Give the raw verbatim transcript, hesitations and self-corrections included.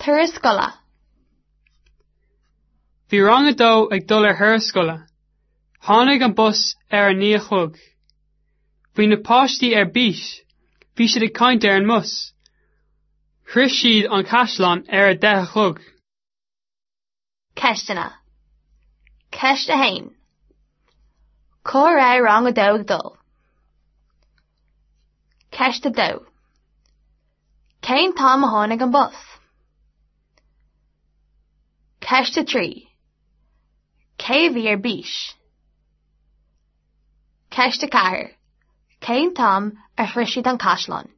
Turas scoile. Bhí rang a dó ag dul ar thuras scoile. Tháinig an bus ar a naoi a chlog. Bhí na páistí ar bís, bhí siad ag caint ar an mbus. Shroich siad an caisleán ar a deich a chlog. Ceisteanna. Ceist a haon. Cá raibh rang a dó ag dul? Ceist a dó. Cén t-am a tháinig an bus? Ceist a trí. Cé bhí ar bís? Ceist a ceathair. Cén t-am a shroich siad an caisleán?